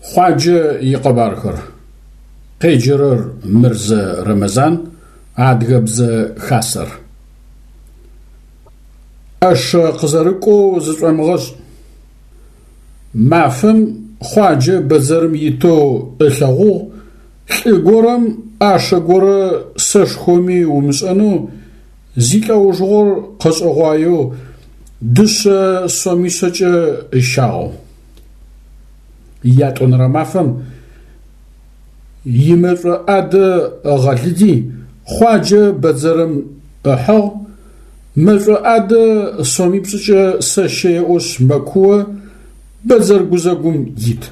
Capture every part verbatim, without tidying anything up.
Хъуаджэ икъэбархэр. Къеджэрэр Мырзэ Рэмэзан, Адыгэбзэ Хасэр. ӏэшэ къызэрыкӏоу зышӏомыгъэшӏ. Мафэм Хъуаджэ бэдзэрым итэу ылъэгъугъ лӏы горэм ӏашэ горэ сэшхоми умышӏэнэу зилӏэужыгъор къэшӏэгъуаеу дышъэ сомишъэкӏэ ыщагъэу. Ятӏонэрэ мафэм имэшӏо ӏадэ ыгъэлыди Хъуаджэ бэдзэрым ыхьыгъ, мэшӏо ӏадэ сомипшӏыкӏэ сэщэ еӏошъ мэкуо бэдзэр гузэгум ит.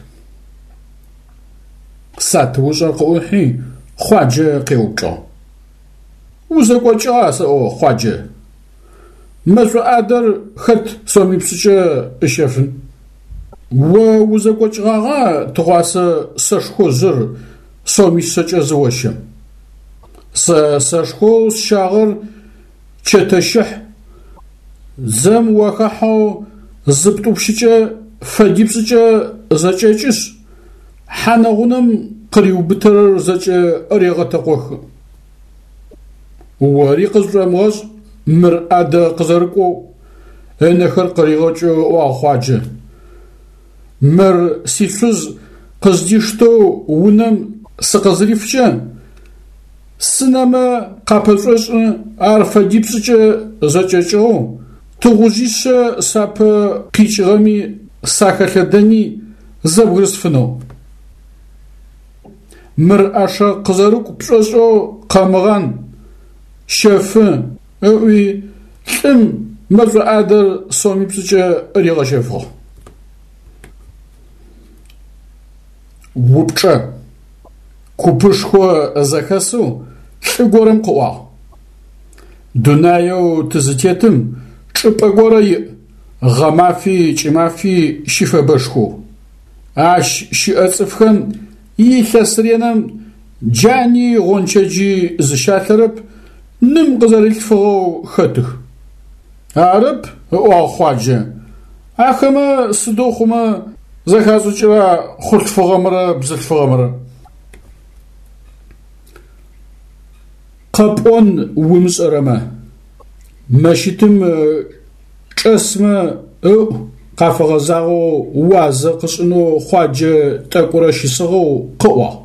Сатыушӏэр къыӏухьи Хъуаджэ къеупчӏыгъ: Узэкӏокӏыгъа сэӏо, Хъуаджэ? Мэшӏо ӏадэр хэт сомипшӏыкӏэ ыщэфын? О узэкӏокӏыгъагъа тыгъуасэ сэшхожъыр сомишъэкӏэ зыощэм? Сэ сэшхоу сщагъэр чэтэщыхь, дзэм уахахьэу зыптӏупщыкӏэ фэдипшӏыкӏэ зэкӏэкӏышъ, хьанэ-гъунэм къыриубытэрэр зэкӏэ регъэтэкъохы. Ори къызшӏомыгъэшӏ мыр ӏадэ къызэрыкӏоу, ынэхэр къыригъэкӏэу ыӏуагъ Хъуаджэ. Мыр сишъуз къыздиштэу унэм сыкъызырифкӏэ, сынэмэ къапэшӏошӏы ар фэдипшӏыкӏэ зэкӏэкӏыгъэу, тыгъужъишъэ сапэ къикӏыгъэми сахэлъэдэни зэбгырысфынэу. Мыр ӏэшэ къызэрыкӏу пшӏошӏэу къэмыгъан, щэфы, ыӏуи лӏым мэшӏо ӏадэр сомипшӏыкӏэ ригъэщэфыгъ. Упчӏэ. Купышхо зэхэсэу лӏы горэм къыӏуагъ: Дунаеу тызытетым чӏыпӏэ горэ иӏ, гъэмафи кӏымафи щыфэбэшхоу. Ащ щыӏэ цӏыфхэм илъэс ренэм джани гъончэджи зыщалъэрэп, ным къызэрилъфыгъэу хэтых. Арэп, ыӏуагъ Хъуаджэ, ахэмэ сыдэу хъумэ зэхашӏыкӏыра хъулъфыгъэмрэ бзылъфыгъэмрэ? Къэпӏон умышӏэрэмэ, мэщытым чӏэсмэ ыӏу къафэгъэзагъэу уазэ къышӏынэу Хъуаджэ тӏэкӏурэ щысыгъэу къыӏуагъ: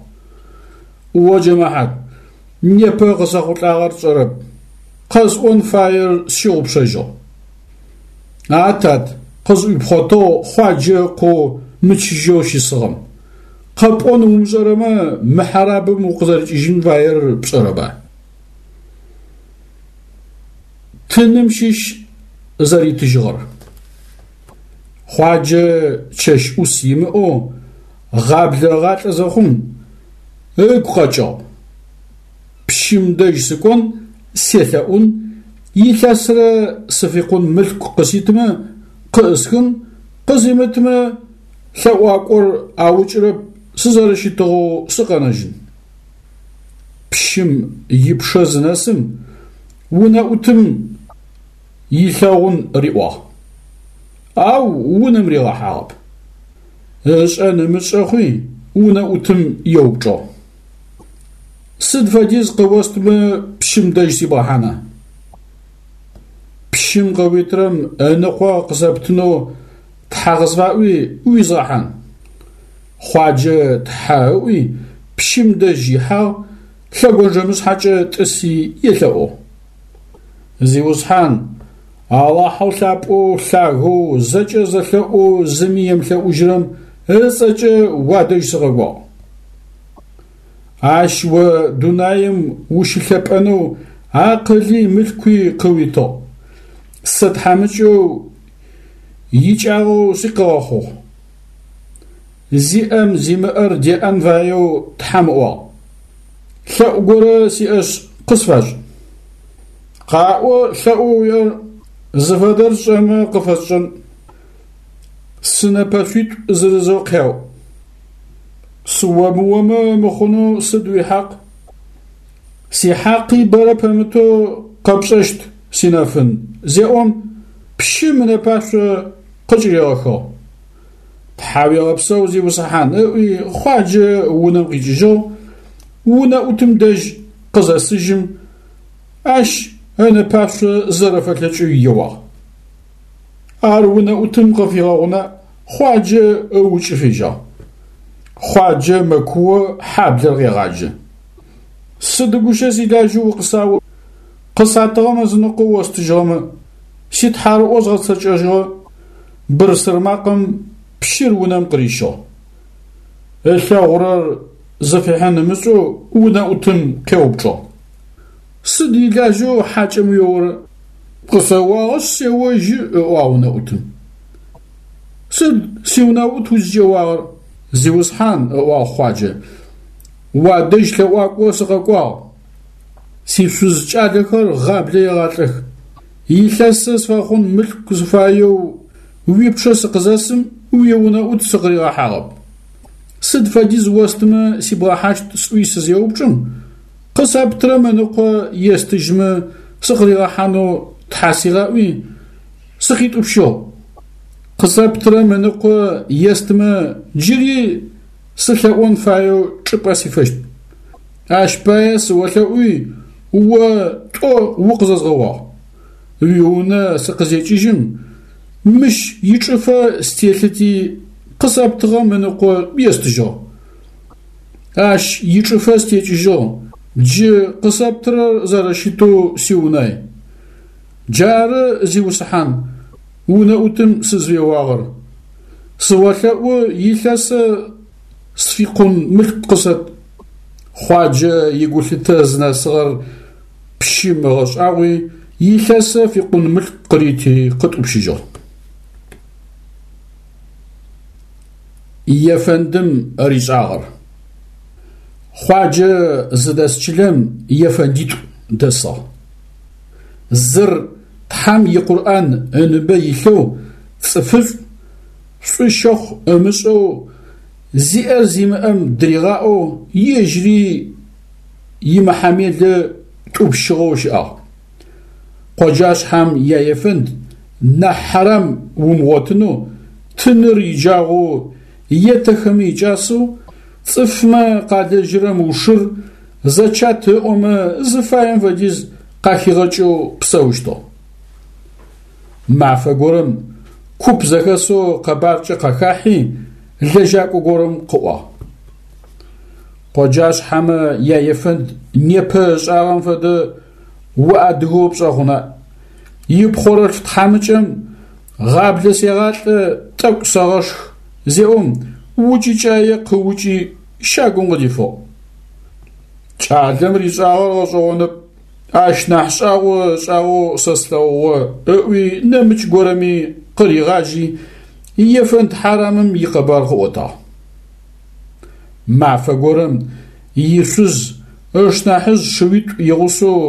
О джэмэхьат, непэ къысэхъулӏагъэр сшӏэрэп, къэсӏон фаер сщыгъупшэжьыгъ. А тат, къызӏуипхъотыгъ Хъуаджэ ыкъоу мычыжьэу щысыгъэм. Къэпӏон умышӏэрэмэ мы хьарабым укъызэрикӏыжьын фаер пшӏэрэба? Тыным щыщ зэритыжьыгъэр. Хъуаджэ чэщ ӏус имыӏэу гъаблэ ыгъалӏэ зэхъум, ыгу къэкӏыгъ: Пщым дэжь сыкӏон, селъэӏун, илъэсрэ сыфикъун мылъку къыситымэ къыӏысхын, къызимытымэ лъэӏуакӏор аукӏырэп, сызэрэщытыгъэу сыкъэнэжьын. Пщым ипчъэ зынэсым, унэӏутым илъэгъун риӏуагъ, ау унэм ригъэхьагъэп. Ышӏэн ымышӏэ хъуи унэӏутым еупчӏыгъ: Сыд фэдиз къыостымэ пщым дэжь сибгъэхьана? Пщым къыуитырэм ыныкъо къысэптынэу тхьэ къысфаӏуи уизгъэхьан. Хъуаджэ тхьэ ыӏуи пщым дэжь ихьагъ, лъэгонджэмышъхьэкӏэ тӏыси елъэӏугъ: Зиусхьан, Алахьэу лъапӏэу лъагэу зэкӏэ зэлъэӏоу зыми емылъэӏужьырэм ыцӏэкӏэ уадэжь сыкъэкӏуагъ. Ащ о дунаим ущылъэпӏэнэу акъыли мылъкуи къыуитыгъ. Сэ тхьамыкӏэу икӏагъэу сыкъыгъэхъугъ. Зиӏэм зимыӏэр деӏэн фаеу Тхьэм ыӏуагъ. Лъэӏу горэ сиӏэшъ къысфашӏ. Къаӏо лъэӏоу уиӏэр зыфэдэр сшӏэмэ къыфэсшӏэн. Сынэпэшъуитӏу зырызэу къяу. Сыомыомэ мыхъунэу сыд уихьакъ? Сихьакъи бэрэ пэмытэу къэпшӏэщт, синэфын, зеӏом, пщым ынэпашъо къыкӏыригъэхыгъ. Тхьауегъэпсэу, зиусхьан, ыӏуи Хъуаджэ унэм къикӏыжьыгъ, унэӏутым дэжь къызэсыжьым, ащ ынэпашъо зэрэфэлъэкӏэу еуагъ. Ар унэӏутым къыфигъэгъуна, Хъуаджэ ыукӏы фежьагъ. Хъуаджэ мэкуо хьаблэр къегъаджэ. Сыд гущэ силажьэу укъысао, къысатыгъэм ызыныкъо остыжьыгъэмэ, ситхьарыӏо згъэцэкӏэжьыгъэ, бырсыр макъэм пщыр унэм къырищыгъ. Ылъэгъурэр зыфихьын ымышӏэу унэӏутым къеупчӏыгъ. Сыд илажьэу хьакӏэм уеорэ? Къысэуагъэшъ сеожьы, ыӏуагъ унэӏутым. Сыд сиунэӏут узкӏеуагъэр? Зиусхьан, ыӏуагъ Хъуаджэ, уадэжь лъэӏуакӏо сыкъэкӏуагъ. Сишъуз кӏалэхэр гъаблэ егъалӏэх. Илъэсэ сфэхъун мылъку сыфаеу уипчъэ сыкъызэсым уиунэӏут сыкъыригъэхьагъэп. Сыд фэдиз остымэ сибгъэхьащт сӏуи сызеупчӏым, къысэптырэм ыныкъо естыжьмэ сыкъыригъэхьанэу Тхьэ сигъаӏуи, сыкъитӏупщыгъ. Къысэптырэм ыныкъо естымэ джыри сылъэӏон фаеу чӏыпӏэ сифэщт. Ащ пае сыолъэӏуи, о тӏо укъызэзгъэуагъ. Уиунэ сыкъызекӏыжьым, мыщ ичӏыфэ стелъыти къысэптыгъэм ыныкъо естыжьыгъ. Ащ ичӏыфэ стекӏыжьыгъ, джы къысэптырэр зэрэщытэу сиунай. Джары, зиусхьан, унэӏутым сызфеуагъэр. Сыолъэӏу илъэсэ сфикъун мылъку къысэт. Хъуаджэ игулъытэ зынэсыгъэр пщым ыгъэшӏагъуи, илъэсэ фикъун мылъку къырити къытӏупщыжьыгъ. Ефэндым ришӏагъэр. Хъуаджэ зыдэс чылэм ефэндитӏу дэсыгъ. Зыр Тхьэм и Къурӏан ыныбэ илъэу цӏыфышӏу, шӏу щэхъу ымышӏэу, зиӏэр зимыӏэм дыригъаӏоу ежьыри имыхьамелэ тӏупщыгъэу щыӏагъ. Къоджашъхьэм яефэнд нахь хьарам умыгъотынэу, тыныр иджагъоу, етэхэми икӏасэу, цӏыфмэ къалэжьырэм ушыр, зэчат ыӏомэ зыфаем фэдиз къахигъэкӏэу псэущтыгъ. Мафэ горэм куп зэхэсэу къэбаркӏэ къахахьи, лэжьакӏо горэм къыӏуагъ. Къоджашъхьэмэ яефэнд непэ ышӏагъэм фэдэ уадыгэу пшӏэ хъуна? Ипхъорэлъф тхьамыкӏэм гъаблэ сегъалӏэ, тӏэкӏу сэгъэшх зеӏом, укӏыкӏае къыукӏи щагум къыдифыгъ. Кӏалэм ришӏагъэр гъэшӏэгъонэп, ащ нахь шӏагъо ышӏагъэу сэ слъэгъугъэ ыӏуи нэмыкӏ горэми къыригъажьи, ефэнд хьарамым икъэбар къыӏотагъ. Мафэ горэм ишъуз ышнахьыжъ шыуитӏу игъусэу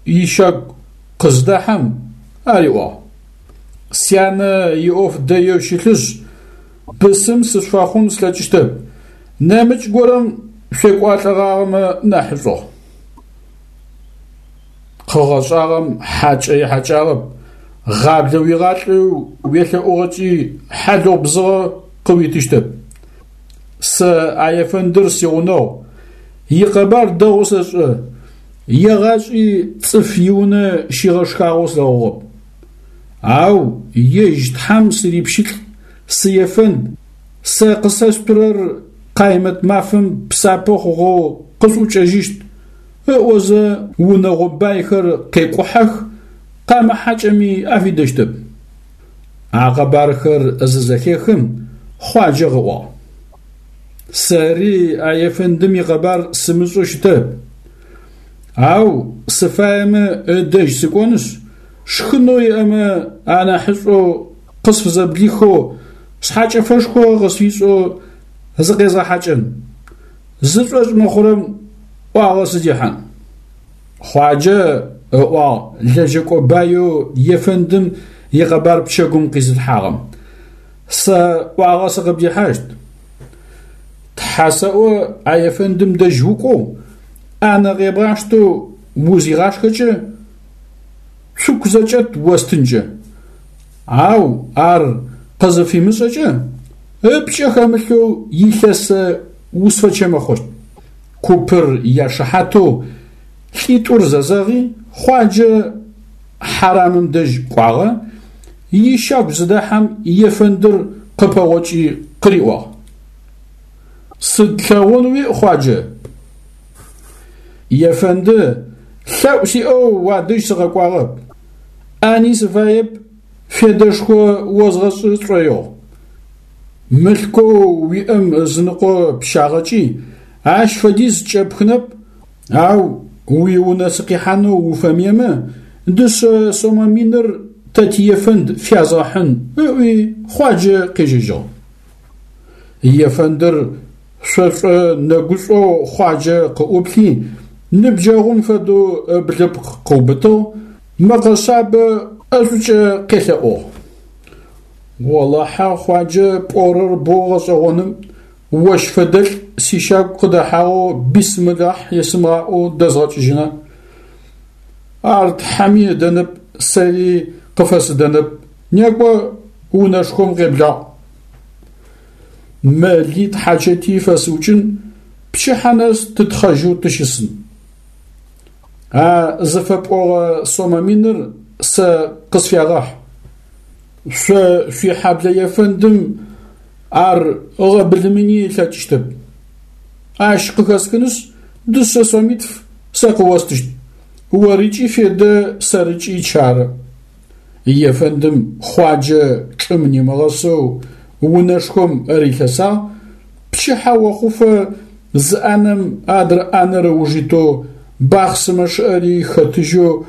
ищагу къыздэхьэм ариӏуагъ: Сянэ иӏоф дэеу щылъышъ, бысым сышъуфэхъун слъэкӏыщтэп, нэмыкӏ горэм шъуекӏуалӏэгъагъэмэ нахьышӏугъ. Къыгъэшӏагъэм хьакӏэ ихьакӏагъэп, гъаблэ уигъалӏэу уелъэӏугъэкӏи хьалыгъу бзыгъэ къыуитыщтэп. Сэ а ефэндыр сигъунэгъу, икъэбар дэгъоу сэшӏэ, егъашӏи цӏыф иунэ щигъэшхагъэу слъэгъугъэп. Ау ежь Тхьэм сырипщылӏ, сыефэнд, сэ къысэшъутырэр къаймэт мафэм псапэ хъугъэу къысӏукӏэжьыщт, ыӏозэ унэгъо байхэр къекӏухьэх, къамыхьакӏэми афидэщтэп. А къэбархэр зызэхехым Хъуаджэ къыӏуагъ: Сэри а ефэндым икъэбар сымышӏэу щытэп. Ау сыфаемэ ыдэжь сыкӏонышъ, шхынэу иӏэмэ анахьышӏоу къысфызэблихэу, шъхьэкӏэфэшхо къысфишӏэу зыкъезгъэхьакӏэн. Зышӏошӏ мыхъурэм ӏуагъэ сыдихьан. Хъуаджэ ыӏуагъ лэжьэкӏо баеу ефэндым икъэбар пчэгум къизылъхьагъэм. Сэ ӏуагъэ сыкъыбдихьащт. Тхьэ сэӏо а ефэндым дэжь укӏоу, ӏанэ къебгъаштэу узигъашхэкӏэ, цуку зэкӏэт остынкӏэ. Ау ар къызыфимышӏэкӏэ, Ыпкӏэ хэмылъэу илъэсэ усфэчэмэхъощт. Купыр яшыхьатэу лӏитӏур зэзэгъи, Хъуаджэ хьарамым дэжь кӏуагъэ, ищагу зыдэхьэм ефэндыр къыпэгъокӏи къыриӏуагъ: Сыд лъэгъун уиӏ, Хъуаджэ? Ефэнды, лъэӏу сиӏэу уадэжь сыкъэкӏуагъэп. Ӏани сыфаеп, федэшхо озгъэшӏы сшӏоигъу. Мылъкоу уиӏэм ызыныкъо пщагъэкӏи, ащ фэдиз кӏэпхынэп, ау уиунэ сыкъихьанэу уфэмыемэ, дышъэ сомэ миныр тэ тиефэнд фязгъэхьын, ыӏуи Хъуаджэ къежьэжьыгъ. Ефэндыр шъошӏо-нэгушӏоу Хъуаджэ къыӏуплъи, ныбджэгъум фэдэу ыблыпкъ къыубытыгъ, мэкъэ шъабэ ӏэшӏукӏэ къелъэӏугъ: Олахьэ, Хъуаджэ, пӏорэр боу гъэшӏэгъоным, ощ фэдэлӏ сищагу къыдэхьагъэу бисмилахь есымыгъаӏоу дэзгъэкӏыжьына. Ар тхьэми ыдэнэп, сэри къыфэсыдэнэп, некӏо унэшхом къеблагъ. Мэли тхьачэти фэсыукӏын, пчыхьэ нэс тытхъэжьэу тыщысын. А зыфэпӏогъэ сомэ миныр сэ къысфягъэхь. Шъо шъуихьэблэ ефэндым ар ыгъэбылымыни ылъэкӏыщтэп. Ащ къыхэсхынышъ, дышъэ сомитф сэ къыостыщт. Орыкӏи федэ, сэрыкӏи чары. Ефэндым Хъуаджэ чӏым нимыгъэсэу унэшхом рилъэсагъ, пчыхьэ охъуфэ зы ӏанэм адрэ ӏанэр ыуж итэу бахъсымэ чъыӏэри хэтыжьэу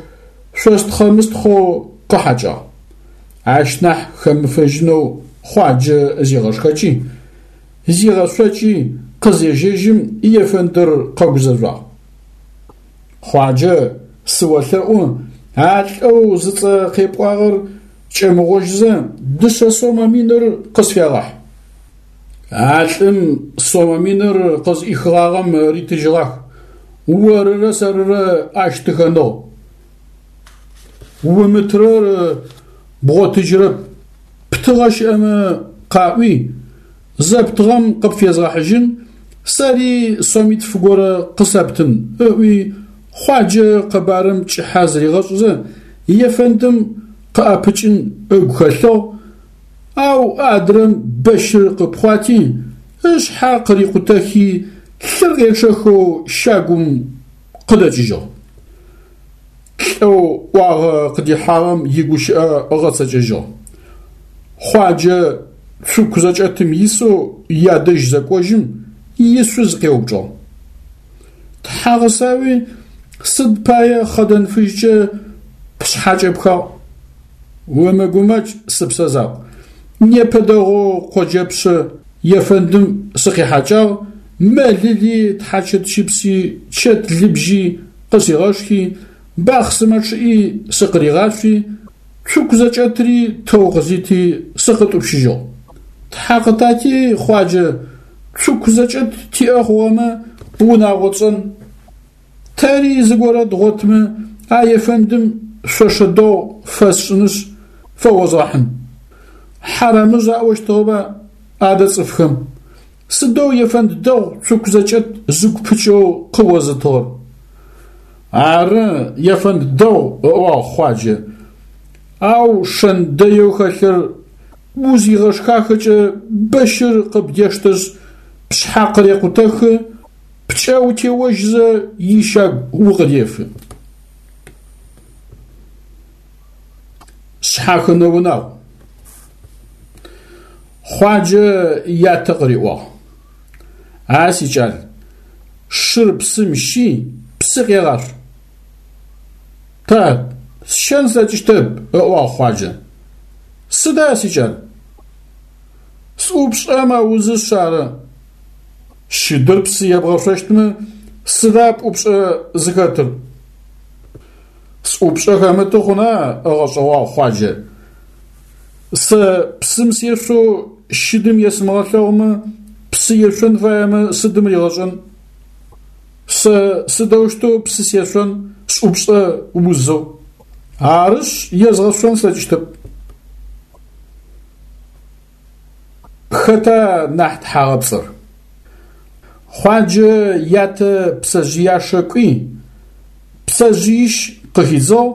шъостхъэ-мыстхъэу къыхьакӏагъ. Ащ нахь хэмыфэжьынэу Хъуаджэ зигъэшхэкӏи, зигъэшъокӏи къызежьэжьым ефэндыр къэгузэжъуагъ. Хъуаджэ, сыолъэӏу, а лӏэу зыцӏэ къепӏуагъэр кӏэмыгъожьызэ дышъэ сомэ миныр къысфягъэхь. А лӏым сомэ миныр къызӏихыгъагъэм ритыжьыгъах, орырэ сэрырэ ащ тыхэныгъ. Умытырэр бгъотыжьырэп, птыгъэ щыӏэмэ къаӏуи, зэптыгъэм къыпфезгъэхьыжьын, сэри сомитф горэ къысэптын, ыӏуи Хъуаджэ къэбарым кӏыхьэ зыригъэшӏызэ ефэндым къыӏэпыкӏын ыгу хэлъыгъ, ау адрэм бэщыр къыпхъуати, ышъхьэ къырикъутэхи, лъыр къечъэхэу щагум къыдэкӏыжьыгъ. Лӏэу ӏуагъэ къыдихьагъэм игущыӏэ ыгъэцэкӏэжьыгъ. Хъуаджэ цуку зэкӏэтым исэу ядэжь зэкӏожьым, ишъуз къеупчӏыгъ: Тхьагъэсауи сыд пае хъэдэн фыжькӏэ пшъхьэ кӏэпхагъ? Умыгумэкӏ, сыпсэ закъу, непэ дэгъоу къоджэпщы ефэндым сыкъихьакӏагъ, мэлыли, тхьачэт щыпси, чэт лыбжьи къысигъэшхи, бахъсымэ чъыӏи сыкъыригъашъуи, цуку зэкӏэтри тэу къызити сыкъытӏупщыжьыгъ. Тхьэ къытати, Хъуаджэ, цуку зэкӏэт тиӏэ хъугъэмэ, унагъо тшӏэн. Тэри зыгорэ дгъотмэ, а ефэндым шъошэ дэгъу фэсшӏынышъ, фэозгъэхьын. Хьарамыжъ аӏощтыгъэба адэ цӏыфхэм? Сыдэу ефэнд дэгъу цуку зэкӏэт зыгу пыкӏэу къыозытыгъэр? Ары, ефэнд дэгъу, ыӏуагъ Хъуаджэ, ау шэн дэеу хэлъыр узигъэшхахэкӏэ бэщыр къыбдештэшъ, пшъхьэ къырекъутэхы, пкӏэ утеожьызэ ищагу укъыдефы. Шъхьахынэ унагъу. Хъуаджэ ятэ къыриӏуагъ: А сикӏал, шыр псым щи, псы къегъашъу. Тат, сщэн слъэкӏыщтэп, ыӏуагъ Хъуаджэ. Сыда, сикӏал? Сӏупшӏэ мэузышъ ары. Щыдыр псы ебгъэшъощтмэ, сыда пӏупшӏэ зыхэтыр? Сӏупшӏэ хэмыты хъуна, ыгъэшӏэгъуагъ Хъуаджэ. Сэ псым сешъоу щыдым есымыгъэлъэгъумэ, псы ешъон фаемэ сыдым ригъэшӏэн? Сэ сыдэущтэу псы сешъон сӏупшӏэ узэу? Арышъ, езгъэшъон слъэкӏыщтэп. Хэта нахь тхьагъэпцӏыр? Хъуаджэ ятэ пцэжъыяшэ кӏуи, пцэжъыищ къыхидзыгъ,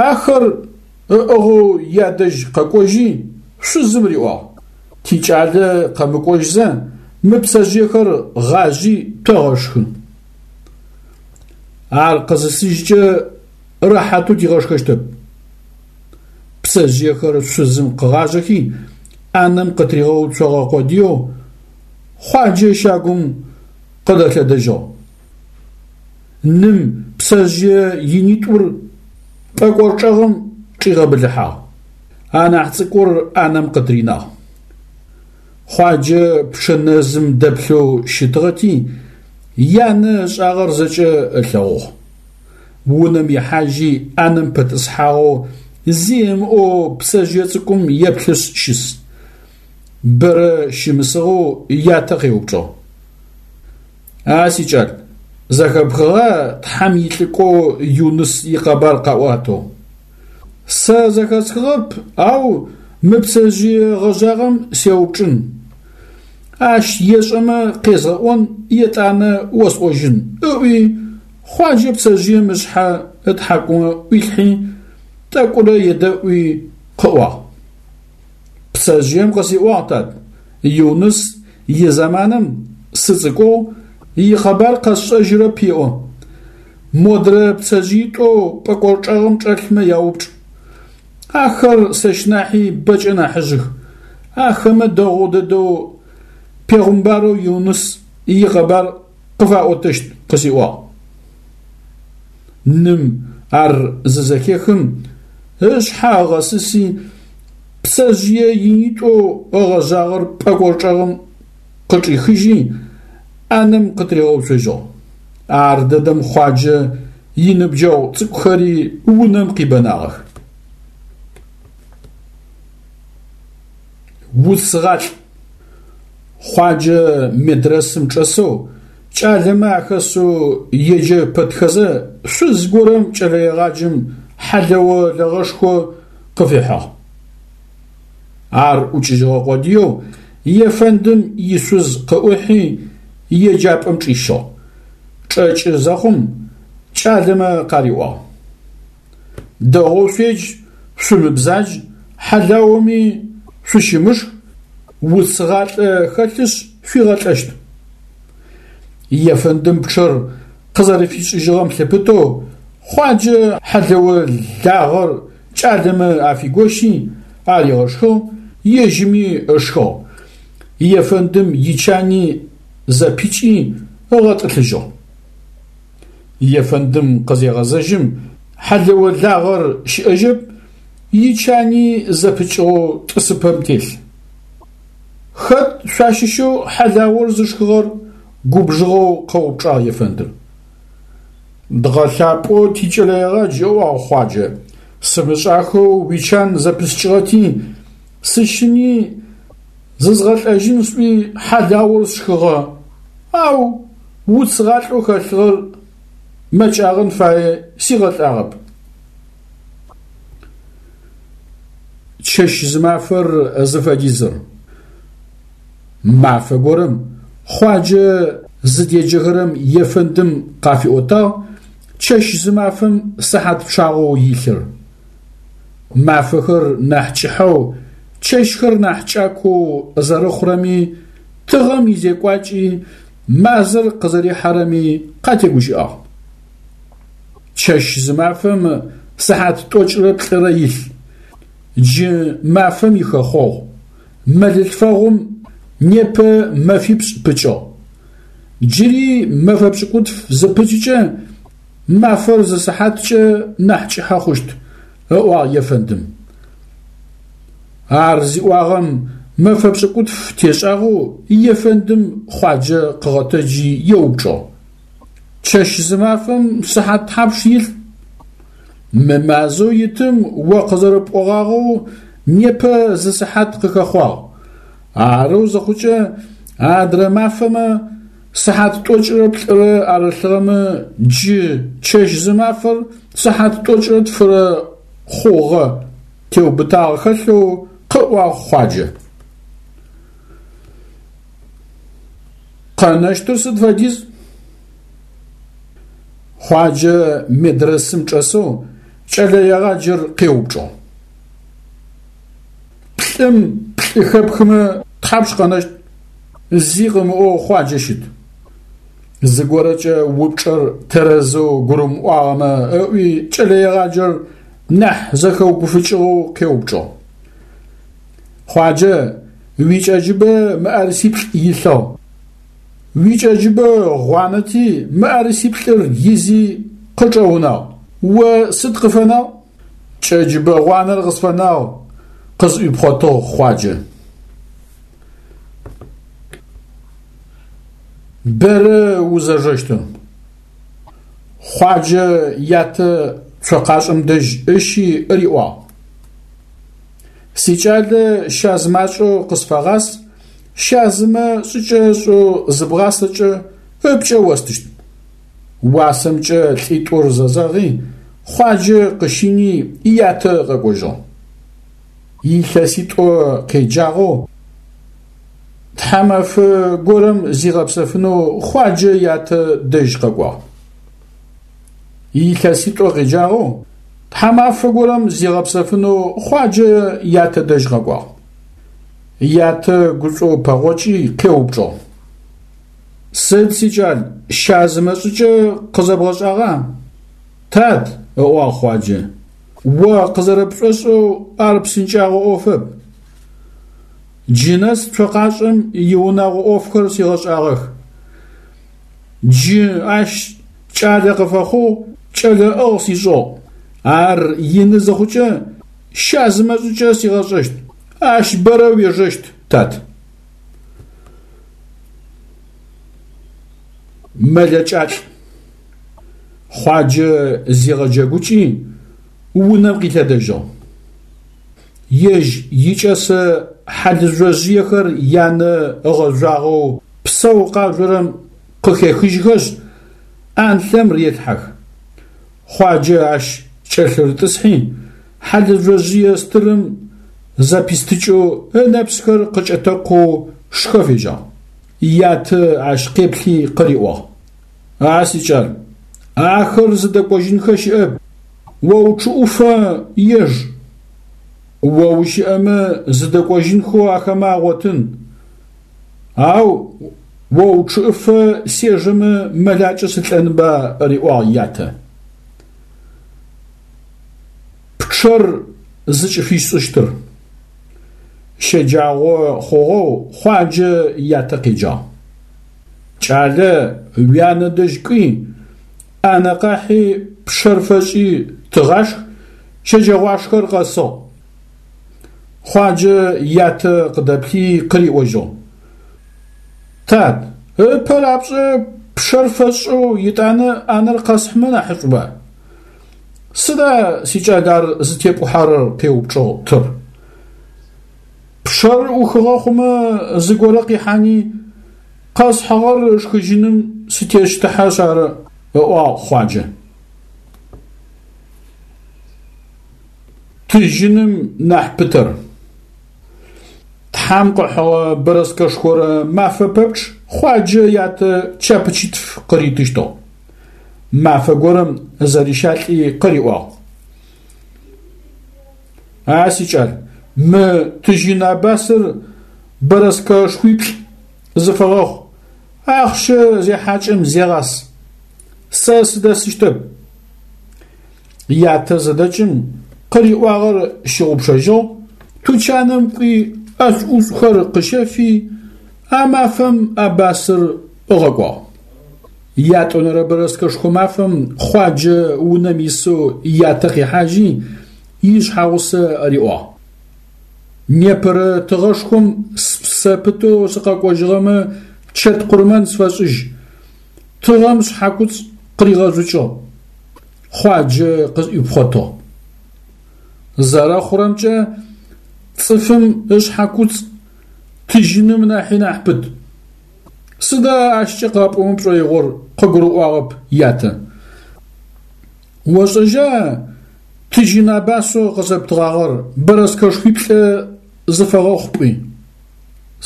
ахэр ыӏыгъэу ядэжь къэкӏожьи, шъузым риӏуагъ: «Тикӏалэ къэмыкӏожьзэ мы пцэжъыехэр гъажъи тэгъэшхы. Ар къызысыжькӏэ рэхьатэу тигъэшхэщтэп». Пцэжъыехэр шъузым къыгъажъэхи, ӏанэм къытыригъэуцогъэ къодыеу Хъуаджэ щагум къыдэлъэдэжьыгъ. Ным пцэжъые инитӏур пӏэкӏор чӏэгъым чӏигъэбылъыхьагъ. Анахь цӏыкӏур ӏанэм къытыринагъ. Хъуаджэ пчъэ нэзым дэплъэу щытыгъэти, янэ ышӏагъэр зэкӏэ ылъэгъугъ. Унэм ихьажьи ӏанэм пэтӏысхьагъэу зи ымыӏоу пцэжъые цӏыкӏум еплъышъ щыс. Бэрэ щымысыгъэу ятэ къеупчӏыгъ: «А сикӏал, зэхэпхыгъа Тхьэм илӏыкӏоу Юныс икъэбар къаӏуатэу?» «Сэ зэхэсхыгъэп, ау мы пцэжъые гъэжъагъэм сеупчӏын. Ащ ешӏэмэ къезгъэӏон, етӏанэ осӏожьын», – ыӏуи Хъуаджэ пцэжъыем ышъхьэ ытхьакӏумэ ӏуилъхьи, тӏэкӏурэ едэӏуи къыӏуагъ: «Пцэжъыем къысиӏуагъ, тат, Юныс изэманым сыцӏыкӏугъ, икъэбар къэсшӏэжьырэп еӏо. Модрэ пцэжъыитӏоу пӏэкӏор чӏэгъым чӏэлъмэ яупчӏ. Ахэр сэщ нахьи бэкӏэ нахьыжъых. Ахэмэ дэгъу дэдэу пегъымбарэу Юныс икъэбар къыфаӏотэщт къысиӏуагъ». Ным ар зызэхехым ышъхьэ ыгъэсыси, пцэжъые инитӏоу ыгъэжъагъэр пӏэкӏор чӏэгъым къычӏихыжьи, ӏанэм къытыригъэуцожьыгъ. Ар дэдэм Хъуаджэ иныбджэгъу цӏыкӏухэри унэм къибэнагъэх. Уцгъалӏ. Хъуаджэ медрэсым чӏэсэу, кӏалэмэ ахэсэу еджэ пэтхэзэ шъуз горэм кӏэлэегъаджэм хьалэо лэгъэшхо къыфихьыгъ. Ар ӏукӏыжьыгъэ къодыеу ефэндым ишъуз къыӏухьи еджапӏэм чӏищыгъ. Чӏэкӏы зэхъум кӏалэмэ къариӏуагъ: «Дэгъоу шъуедж, шъумыбзадж, хьалаоми шъущымышх, уцгъалӏэ хэлъышъ шъуигъэлӏэщт». Ефэндым пчъэр къызэрэфишӏыжьыгъэм лъыпытэу Хъуаджэ хьалэо лагъэр кӏалэмэ афигощи аригъэшхыгъ, ежьыми ышхыгъ. Ефэндым ичани зэпикӏи ыгъэтӏылъыжьыгъ. Ефэндым къызегъэзэжьым хьалэо лагъэр щыӏэжьэп, ичани зэпыкӏыгъэу тӏысыпӏэм телъ. «Хэт шъуащыщэу хьалаор зышхыгъэр?» – губжыгъэу къэупчӏагъ ефэндыр. «Дгъэлъапӏэу тикӏэлэегъадж, – ыӏуагъ Хъуаджэ, – сымышӏахэу уичан зэпыскӏыгъэти, сыщыни зызгъэлӏэжьын сӏуи хьалаор сшхыгъэ, ау уцгъалӏэу хэлъыгъэр мэкӏагъэн фае сигъэлӏагъэп». Чэщ-зымафэр зыфэдизыр. Мафэ горэм Хъуаджэ зыдеджэхэрэм ефэндым къафиӏотагъ чэщ-зымафэм сыхьат пчъагъэу илъыр. Мафэхэр нахь кӏыхьэу, чэщхэр нахь кӏакоу зэрэхъурэми, тыгъэм изекӏуакӏи, мазэр къызэрихьэрэми къатегущыӏагъ. Чэщ-зымафэм сыхьат тӏокӏырэ плӏырэ илъ. Джы мафэм ихэхъогъу. Мэлылъфэгъум непэ мэфипшӏ пыкӏыгъ. Джыри мэфэ пшӏыкӏутф зыпыкӏыкӏэ мафэр зы сыхьаткӏэ нахь кӏыхьэ хъущт, ыӏуагъ ефэндым. Ар зиӏуагъэм мэфэ пшӏыкӏутф тешӏагъэу ефэндым Хъуаджэ къыгъэтэджи еупчӏыгъ: «Чэщ-зымафэм сыхьат тхьапш илъ? Мы мазэу итым о къызэрэпӏогъагъэу непэ зы сыхьат къыхэхъуагъ. Арэу зыхъукӏэ адрэ мафэмэ сыхьат тӏокӏырэ плӏырэ арылъыгъэмэ джы чэщ-зымафэр сыхьат тӏокӏырэ тфырэ хъугъэ», – теубытагъэ хэлъэу къыӏуагъ Хъуаджэ. Къэнэщтыр сыд фэдиз? Хъуаджэ медрэсым чӏэсэу кӏэлэегъаджэр къеупчӏыгъ. Плӏым плӏы хэпхымэ тхьапш къэнэщт? Зи къымыӏоу Хъуаджэ щыт. Зыгорэкӏэ упчӏэр тэрэзэу гурымыӏуагъэмэ ыӏуи кӏэлэегъаджэр нахь зэхэугуфыкӏыгъэу къеупчӏыгъ. Хъуаджэ, уикӏэджыбэ мыӏэрысиплӏ илъыгъ. Уикӏэджыбэ гъуанэти мыӏэрысиплӏыр изи къычӏэунагъ. О сыд къыфэнагъ? Кӏэджыбэ гъуанэр къысфэнагъ, къызӏуипхъотыгъ Хъуаджэ. Бэрэ узэжэщтыр. Хъуаджэ ятэ цокъашӏэм дэжь ыщи риӏуагъ. Сикӏалэ щазымакӏэу къысфэгъас, щазымэ шӏыкӏэ ышӏэу зыбгъасэкӏэ ыпкӏэ остыщт. Уасэмкӏэ лӏитӏур зэзэгъи, Хъуаджэ къыщини ятэ ыгъэкӏожьыгъ. Илъэситӏо къеджагъэу тхьамафэ горэм зигъэпсэфынэу Хъуаджэ ятэ дэжь къэкӏуагъ. Илъэситӏо къеджагъэу тхьамафэ горэм зигъэпсэфынэу Хъуаджэ ятэ дэжь къэкӏуагъ. Ятэ гушӏоу пэгъокӏи къеупчӏыгъ. Сыд, сикӏал, щазымэ шӏыкӏэ къызэбгъэшӏагъа? Тат, ыӏуагъ Хъуаджэ, о къызэрэпшӏошӏэу ар псынкӏагъо ӏофэп. Джы нэс цокъашӏэм иунагъо ӏофхэр сигъэшӏагъэх. Джы ащ кӏалэ къыфэхъугъ, кӏэлэ ӏыгъ сишӏыгъ. Ар ины зыхъукӏэ щазымэ шӏыкӏэ сигъэшӏэщт. Ащ бэрэ уежэщт, тат. Мэлэкӏалӏ. Хъуаджэ зигъэджэгукӏи унэм къилъэдэжьыгъ. Ежь икӏэсэ хьалыжъожъыехэр янэ ыгъэжъуагъэу псэу къажъорэм къыхехыжьхэшъ, ӏанлъэм релъхьэх. Хъуаджэ ащ кӏэлъырытӏысхьи, хьалыжъожъые стырым зэпистыкӏэу ынэпсхэр къыкӏэтэкъоу шхэ фежьагъ. Ятэ ащ къеплъи къыриӏуагъ. А сикӏал, ахэр зыдэкӏожьынхэ щыӏэп, о учъыӏуфэ еж. О ущыӏэмэ зыдэкӏожьынхэу ахэмэ агъотын, ау о учъыӏыфэ сежэмэ мэлакӏэ сылӏэнба, риӏуагъ ятэ. Пчъэр зыкӏыфишӏыщтыр. Щэджагъо хъугъэу Хъуаджэ ятэ къеджагъ. Кӏалэ, уянэ дэжь кӏуи, ӏанэ къахьи пчъэр фэшӏи тыгъашх, щэджэгъуашхэр къэсыгъ. Хъуаджэ ятэ къыдэплъи къыриӏожьыгъ. Тат, ыпэ рапшӏэ пчъэр фэсшӏэу итӏанэ ӏанэр къэсхьымэ нахьышӏуба? Сыда сикӏал ар зытепӏухьэрэр? Къеупчӏыгъ тыр. Пчъэр ӏухыгъэ хъумэ зыгорэ къихьани, къэсхьыгъэр ышхыжьыным сытещтыхьэшъ ары, ыӏуагъ Хъуаджэ. Тыжьыным нахь пытэр. Тхьам къыхьыгъэ бэрэскэшхорэ мафэ пэпчъ Хъуаджэ ятэ чапычитф къыритыщтыгъ. Мафэ горэм зэрищалӏи къыриӏуагъ. А сикӏал, мы тыжьын абасыр бэрэскэшхуиплӏ зыфэгъэхъу, ахъщэ зехьакӏэм зегъас. Сэ сыдэсыщтэп. Ятэ зыдэкӏым къыриӏуагъэр щыгъупшэжьыгъ, тучаным кӏуи ӏэшӏу-ӏушӏухэр къыщэфи, а мафэм абасыр ыгъэкӏуагъ. Ятӏонэрэ бэрэскэшхо мафэм Хъуаджэ унэм исэу ятэ къихьажьи, ишъхьэгъусэ риӏуагъ. Непэрэ тыгъэшхом спсэ пытэу сыкъэкӏожьыгъэмэ чэт къурмэн сфэшӏыжь. Тыгъэм шъхьакуцӏ къыригъэжъукӏыгъ. Хъуаджэ къызӏуипхъотыгъ. Зэрэхъурэмкӏэ, цӏыфым ышъхьакуцӏ тыжьыным нахьи нахь пыт. Сыда ащкӏэ къапӏомэ пшӏоигъор? Къыгурыӏуагъэп ятэ. Ошӏэжьа тыжьын абасэу къысэптыгъагъэр бэрэскэшхуиплӏэ зыфэгъэхъу пӏуи?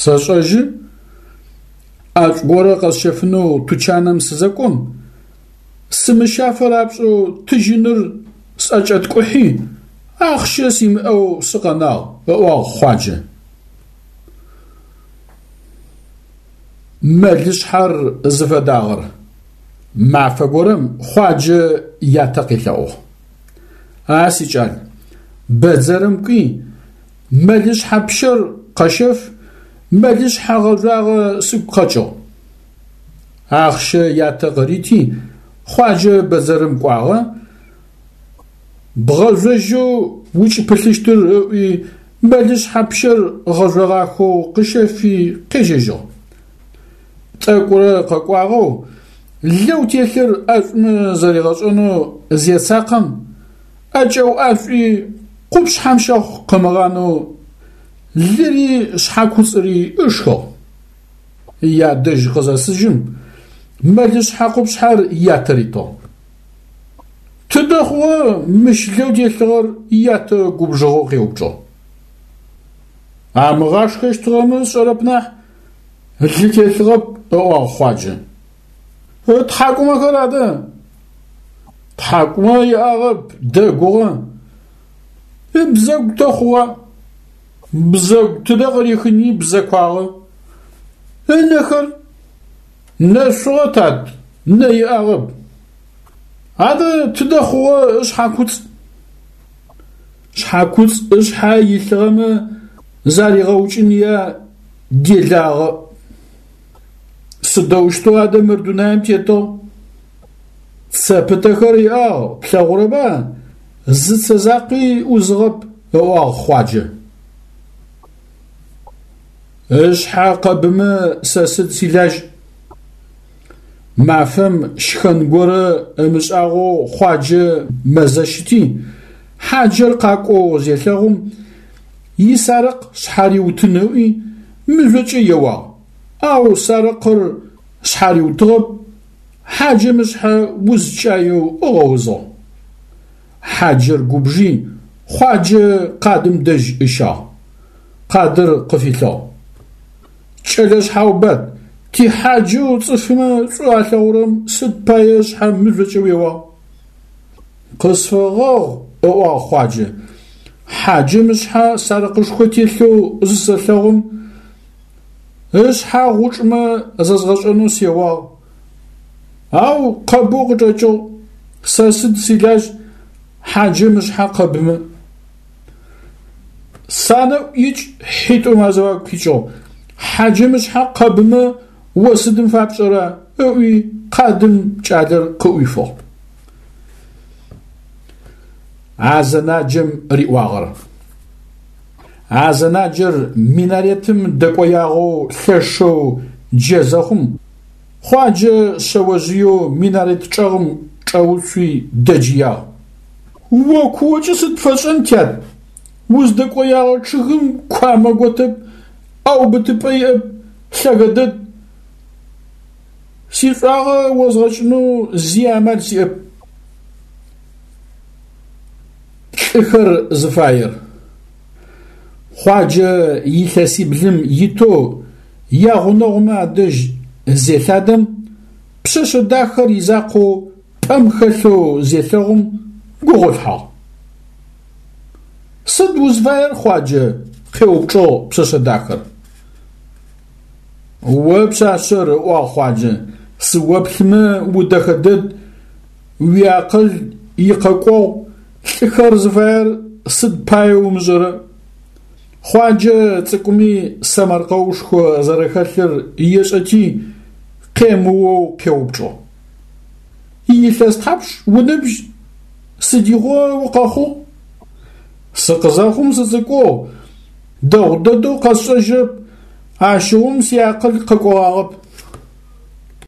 Сэшӏэжьы. ӏэшӏу горэ къэсщэфынэу тучаным сызэкӏом, сымыщафэ рапшӏэу тыжьыныр сӏэкӏэткӏухьи, ахъщэ симыӏэу сыкъэнагъ, ыӏуагъ Хъуаджэ. Мэлышъхьэр зыфэдагъэр. Мафэ горэм Хъуаджэ ятэ къелъэӏугъ. А сикӏал, бэдзэрым кӏуи, мэлышъхьэ пщэр къэщэф, мэлышъхьэ гъэжъуагъэ сыгу къэкӏыгъ. Ахъщэ ятэ къырити, Хъуаджэ бэдзэрым кӏуагъэ, бгъэжъожьэу укӏыпылъыщтыр ыӏуи мэлышъхьэ пщэр гъэжъогъахэу къыщэфи къежьэжьыгъ. Тӏэкӏурэ къэкӏуагъэу, лэу телъыр ӏэшӏумэ зэригъэшӏэнэу зецакъэм, ӏэкӏэуӏашӏуи къупшъхьэм щэхъу къымыгъанэу лыри шъхьэкуцӏыри ышхыгъ. Ядэжь къызэсыжьым, мэлышъхьэ къупшъхьэр ятэ ритыгъ. Тыдэ хъугъэ мыщ лэу телъыгъэр ятэ губжыгъэу къеупчӏыгъ. Амыгъашхэщтыгъэмэ сшӏэрэп нахь, лы телъыгъэп, ыӏуагъ Хъуаджэ. Ытхьакӏумэхэр адэ? Тхьакӏумэ иӏагъэп, дэгугъэ. Ыбзэгу тэ хъугъа? Бзэгу тыдэ къырихыни бзэкуагъэ. Ынэхэр? Нэшъугъэ, тат, нэ иӏагъэп. Адэ тыдэ хъугъэ ышъхьэкуцӏ? Шъхьэкуцӏ ышъхьэ илъыгъэмэ заригъэукӏыныя делагъэ. Сыдэущтэу адэ мыр дунаим тетыгъ? Цэ пытэхэр иӏагъ, плъэгъурэба? Зы цэ закъуи ӏузыгъэп, ыӏуагъ Хъуаджэ. Ышъхьэ къэбымэ сэ сыд силажь? Мафэм шхэн горэ ымышӏагъэу Хъуаджэ мэзэщыти, хьаджэр къакӏоу зелъэгъум, исарыкъ шъхьариутын ыӏуи, мыжъокӏэ еуагъ, ау сарыкъыр шъхьариутыгъэп, хьаджэм ышъхьэ узкӏаеу ыгъэузыгъ. Хьаджэр губжи, Хъуаджэ къадым дэжь ыщагъ. Къадыр къыфилъыгъ. Кӏэлэ шъхьаубат, тихьаджэу цӏыфмэ шӏу алъэгъурэм сыд пае ышъхьэ мыжъокӏэ уеуагъ? Къысфэгъэгъу, ыӏуагъ Хъуаджэ. Хьаджэм ышъхьэ сарыкъышхо телъэу зысэлъэгъум, ышъхьэ гъучӏмэ зэзгъэшӏэнэу сеуагъ. Ау къэбэу къычӏэкӏыгъ, сэ сыд силажь хьаджэм ышъхьэ къэбымэ. Санэӏу икӏ хьитӏум азыфагу къикӏыгъ. Хьаджэм ышъхьэ къэбымэ о сыдым фапшӏэра? Ыӏуи къадым кӏалэр къыӏуифыгъ. Азэнаджэм риӏуагъэр. Азэнаджэр минаретым дэкӏоягъэу лъэшэу джэ зэхъум, Хъуаджэ шъэожъыеу минарет чӏэгъым чӏэуцуи дэджыягъ. О куокӏэ сыд пфэшӏэн, тят? Уздэкӏоягъэ чъыгым куамэ готэп, ӏэубытыпӏэ иӏэп, лъэгэ дэд. Сишӏуагъэ озгъэкӏынэу зи амал сиӏэп. Лӏыхэр зыфаер. Хъуаджэ илъэсиблым итэу ягъунэгъумэ адэжь зелъадэм, пшъэшъэ дахэр изакъоу пӏэм хэлъэу зелъэгъум гугъолъхьагъ. Сыд узфаер, Хъуаджэ? Къеупчӏыгъ пшъэшъэ дахэр. О пшъашъэр, ыӏуагъ Хъуаджэ, сыоплъымэ удэхэ дэд, уиакъыл икъэкӏогъу, лӏыхэр зыфаер сыд пае умышӏэрэ? Хъуаджэ цӏыкӏуми сэмэркъэушхо зэрэхэлъыр ешӏэти, къемыоу къеупчӏыгъ. Илъэс тхьапш уныбжь? Сыдигъо укъэхъугъ? Сыкъызэхъум сыцӏыкӏугъ, дэгъу дэдэу къэсшӏэжьырэп, ащыгъум сиакъыл къэкӏогъагъэп.